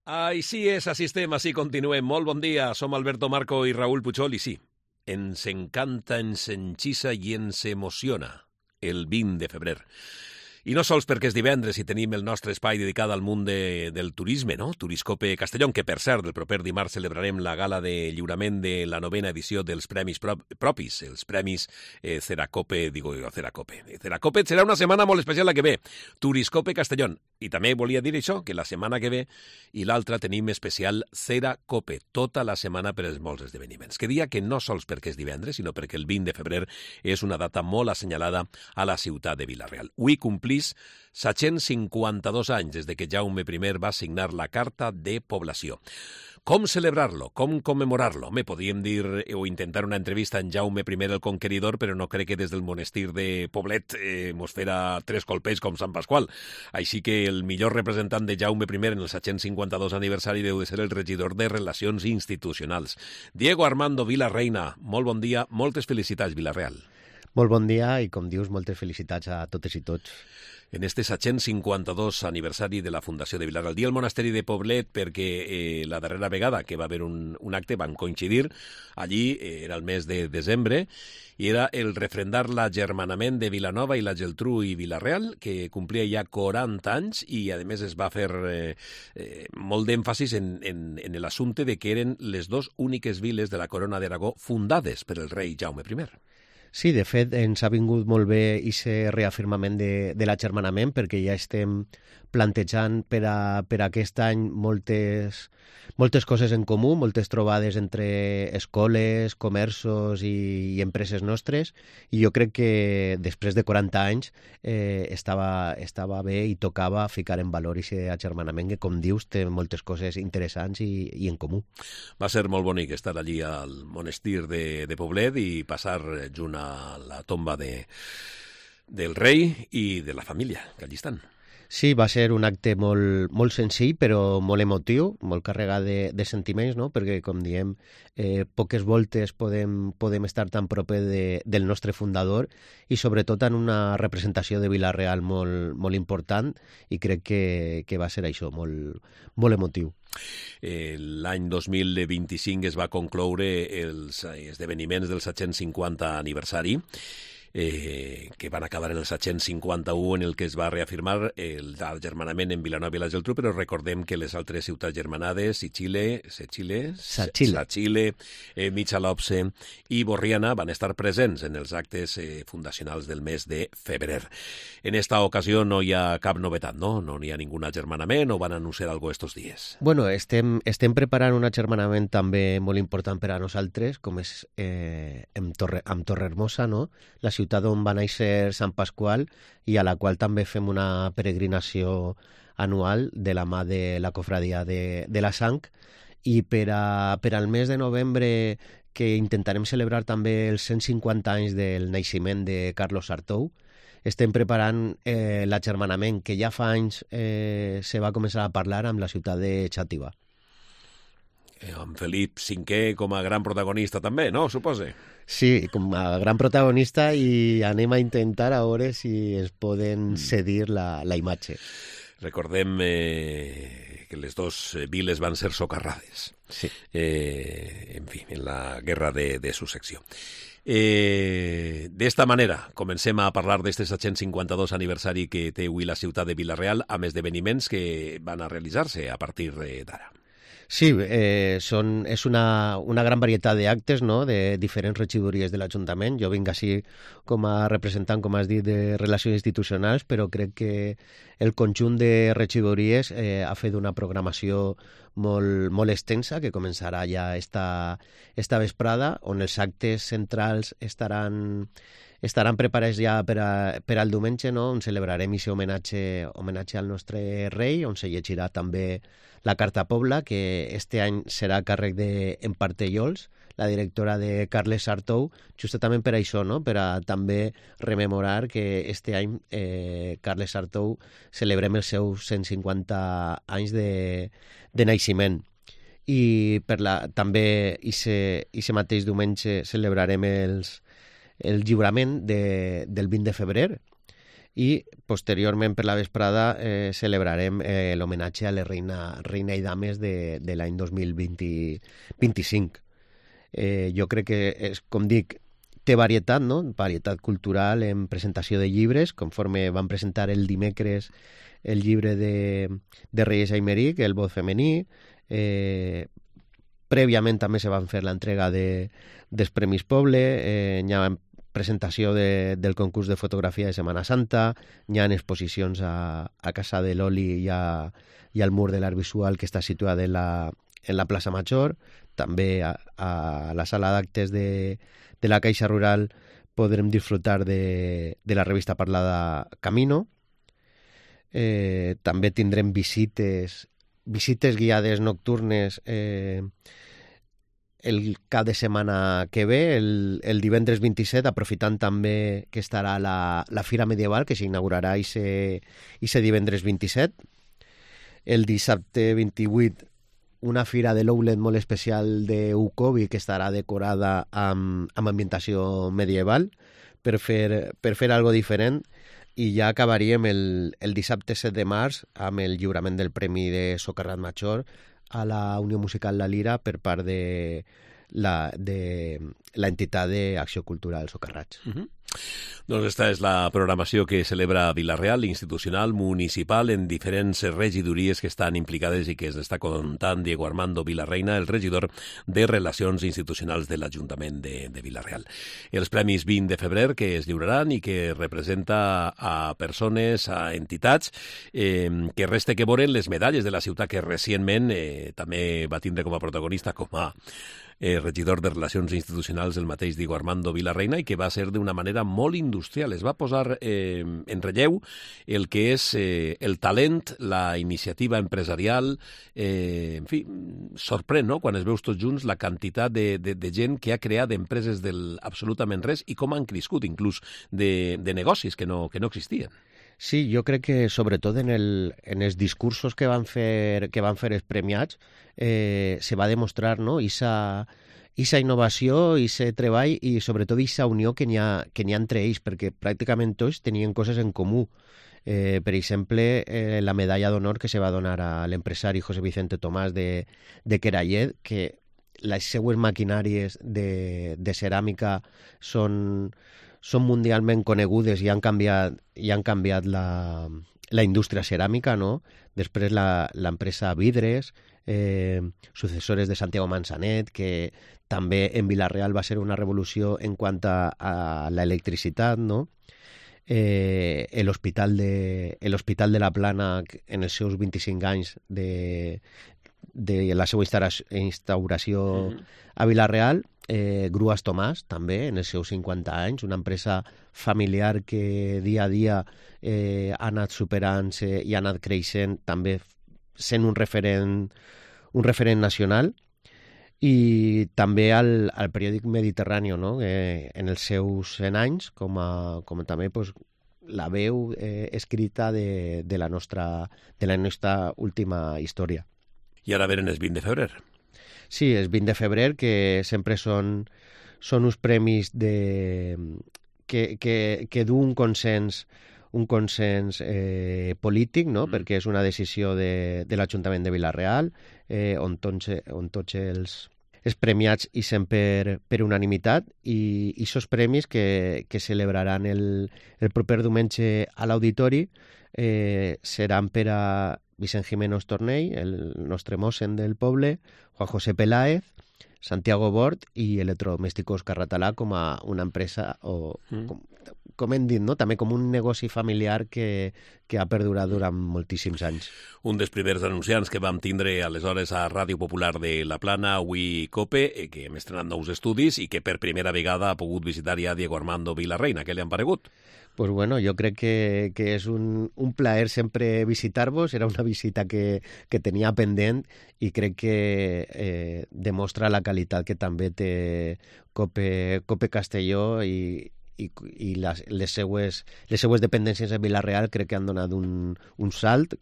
Així és, així estem, així continuem. Molt bon dia, som Alberto Marco i Raúl Puchol, i sí, ens encanta, ens enxissa i ens emociona el 20 de febrer. I no sols perquè és divendres i tenim el nostre espai dedicat al món del turisme, no? Turiscope Castellón, que per cert, el proper dimarts celebrarem la gala de lliurament de la 9ª edició dels premis propis, els premis Ceracope, Ceracope serà una setmana molt especial la que ve, Turiscope Castellón. I també volia dir això, que la setmana que ve i l'altra tenim especial Ceracope, tota la setmana per als molts esdeveniments. Que dia que no sols perquè és divendres, sinó perquè el 20 de febrer és una data molt assenyalada a la ciutat de Vila-real. Avui complís 752 anys des de que Jaume I va signar la Carta de Població. Com celebrar-lo? Com commemorarlo? Home, podríem dir o intentar una entrevista en Jaume I el Conqueridor, però no crec que des del monestir de Poblet mos fera tres colpells com Sant Pasqual. Així que el millor representant de Jaume I en el 752 aniversari deu de ser el regidor de Relacions Institucionals. Diego Armando Vilarreina, molt bon dia, moltes felicitats, Vila-real. Molt bon dia i, com dius, moltes felicitats a totes i tots. En este 752 aniversari de la Fundació de Vilar. El dia al Monasteri de Poblet, perquè la darrera vegada que va haver un acte van coincidir, allí era el mes de desembre, i era el refrendar l'agermanament de Vilanova i la Geltrú i Vila-real, que complia ja 40 anys, i a més es va fer molt d'èmfasis en l'assumpte de que eren les dues úniques viles de la Corona d'Aragó fundades per el rei Jaume I. Sí, de fet, ens ha vingut molt bé aquest reafirmament de l'agermanament, perquè ja estem plantejant per aquest any moltes coses en comú, moltes trobades entre escoles, comerços i empreses nostres, i jo crec que després de 40 anys estava bé i tocava ficar en valor aquest agermanament que, com dius, té moltes coses interessants i en comú. Va ser molt bonic estar allí al monestir de Poblet i passar junt a la tomba del rei i de la família, que allí estan. Sí, va ser un acte molt senzill, però molt emotiu, molt carregat de sentiments, no? Perquè, com diem, poques voltes podem estar tan proper del nostre fundador i, sobretot, en una representació de Vila-real molt important, i crec que va ser això, molt emotiu. L'any 2025 es va concloure els esdeveniments del 750 aniversari, que van acabar en el 751, en el que es va reafirmar l'agermanament en Vilanova i la Geltrú, però recordem que les altres ciutats germanades, Satxile, Michalopse i Borriana van estar presents en els actes fundacionals del mes de febrer. En esta ocasió no hi ha cap novetat, no? No hi ha ningú agermanament o van anunciar alguna cosa estos dies? Bueno, estem preparant un agermanament també molt important per a nosaltres, com és amb Torrehermosa, no? La ciutat on va néixer Sant Pasqual i a la qual també fem una peregrinació anual de la mà de la cofradia de la Sang, i per al mes de novembre, que intentarem celebrar també els 150 anys del naixement de Carlos Artou, estem preparant l'agermanament que ja fa anys se va començar a parlar amb la ciutat de Xàtiva. Amb Felip V com a gran protagonista també, no? Supose. Sí, com a gran protagonista, i anem a intentar a veure si es poden cedir la imatge. Recordem que les dues viles van ser socarrades. Sí. En fi, en la guerra de successió. D'esta manera comencem a parlar d'este 752 aniversari que té avui la ciutat de Vila-real, amb esdeveniments que van a realitzar-se a partir d'ara. Sí, és una gran varietat d'actes, no?, de diferents regidories de l'Ajuntament. Jo vinc així com a representant, com has dit, de Relacions Institucionals, però crec que el conjunt de regidories ha fet una programació molt extensa, que començarà ja esta vesprada, on els actes centrals estaran preparats ja per al diumenge, no?, on celebrarem aquest homenatge al nostre rei, on se llegirà també la Carta Pobla, que este any serà a càrrec d'Emparte Yols, la directora de Carles Artou, justament per això, no?, per a també rememorar que este any Carles Artou celebrem els seus 150 anys de naixement. I també aquest mateix diumenge celebrarem el lliurament del 20 de febrer, i posteriorment per la vesprada celebrarem l'homenatge a la reina i dames de l'any 2025. Jo crec que, com dic, té varietat, no? Varietat cultural en presentació de llibres, conforme van presentar el dimecres el llibre de Reyes Aymeric, El vot femení. Prèviament també se van fer l'entrega dels Premis Poble, hi ha presentació del concurs de fotografia de Setmana Santa, hi ha exposicions a Casa de l'Oli i al Mur de l'Art Visual, que està situada en la plaça Major. També a la sala d'actes de la Caixa Rural podrem disfrutar de la revista parlada Camino. També tindrem visites guiades nocturnes el cap de setmana que ve, el divendres 27, aprofitant també que estarà la Fira Medieval, que s'inaugurarà ese divendres 27. El dissabte 28, una fira de l'Oulet molt especial d'Ucobi, que estarà decorada amb ambientació medieval, per fer algo diferent. I ja acabaríem el dissabte 7 de març amb el lliurament del Premi de Socarrat Major a la Unió Musical La Lira per part de l'entitat d'Acció Cultural Socarrats. Doncs esta és la programació que celebra Vila-real, institucional, municipal, en diferents regidories que estan implicades i que ens està contant Diego Armando Vilarreina, el regidor de Relacions Institucionals de l'Ajuntament de Vila-real. Els Premis 20 de febrer que es lliuraran i que representa a persones, a entitats, que resta que veure les medalles de la ciutat que recentment també va tindre com a protagonista, com a regidor de Relacions Institucionals el mateix Diego Armando Vilarreina, i que va ser d'una manera molt industrial. Es va posar en relleu el que és el talent, la iniciativa empresarial, en fi, sorprèn, no?, quan es veus tots junts la quantitat de gent que ha creat empreses del absolutament res i com han crescut, inclús de negocis que no existien. Sí, jo crec que sobretot en els discursos que van fer els premiats se va demostrar, no?, esa innovació, ese treball i sobretot esa unió que n'hi ha entre ells, perquè pràcticament tots tenien coses en comú. Per exemple, la medalla d'honor que se va donar a l'empresari José Vicente Tomàs de Querallet, que les seues maquinàries de ceràmica són mundialment conegudes i han canviat la indústria ceràmica, no? Després l'empresa Vidres, successores de Santiago Manzanet, que també en Vila-real va ser una revolució en quant a l'electricitat, no? L'Hospital de la Plana, en els seus 25 anys de la seva instauració a Vila-real, Grues Tomàs, també, en els seus 50 anys, una empresa familiar que dia a dia ha anat superant-se i ha anat creixent, també sent un referent nacional. I també al periòdic Mediterrani, no?, en els seus 100 anys, com també pues, la veu escrita de la nostra última història. I ara venen els 20 de febrer. Sí, els 20 de febrer, que sempre són uns premis que du un consens polític, no?, perquè és una decisió de l'Ajuntament de Vila-real, on tots els premiats hi són per unanimitat, i aquests premis que celebraran el proper diumenge a l'Auditori seran per a Vicent Jiménez Tornell, el nostre mossen del poble, Juan José Peláez, Santiago Bort i Electrodomésticos Carratalà, com a una empresa, o com hem dit, no?, també com un negoci familiar que ha perdurat durant moltíssims anys. Un dels primers anunciants que vam tindre aleshores a Ràdio Popular de La Plana, avui COPE, que hem estrenat nous estudis i que per primera vegada ha pogut visitar ja Diego Armando Vilarreina. Què li han paregut? Pues bueno, jo crec que és un plaer sempre visitar-vos. Era una visita que tenia pendent i crec que demostra la qualitat que també té COPE Castelló i i les seues dependències a Vila-real crec que han donat un salt,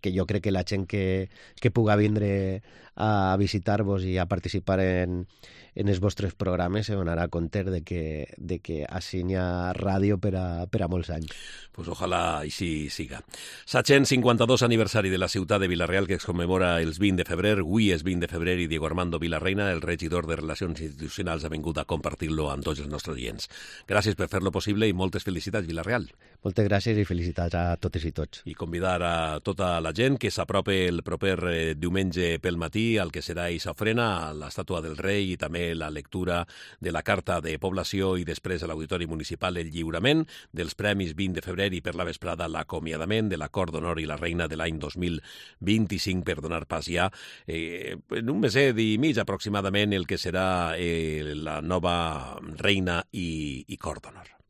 que jo crec que la gent que puga vindre a visitar-vos i a participar en els vostres programes se donarà compte de que així n'hi ha ràdio per a molts anys. Pues ojalà així siga. 752 aniversari de la ciutat de Vila-real, que es commemora els 20 de febrer. Avui és 20 de febrer i Diego Armando Vilarreina, el regidor de Relacions Institucionals, ha vingut a compartir-lo amb tots els nostres oients. Gràcies per fer-lo possible i moltes felicitats, Vila-real. Moltes gràcies i felicitats a totes i tots. I convidar a tota la gent que s'apropi el proper diumenge pel matí al que serà Isofrena, a l'estàtua del rei i també la lectura de la carta de població i després a l'Auditori Municipal el lliurament dels Premis 20 de febrer i per la vesprada l'acomiadament de l'Acord d'Honor i la Reina de l'any 2025 per donar pas ja en un meset i mig aproximadament el que serà la nova reina i Cort d'Honor.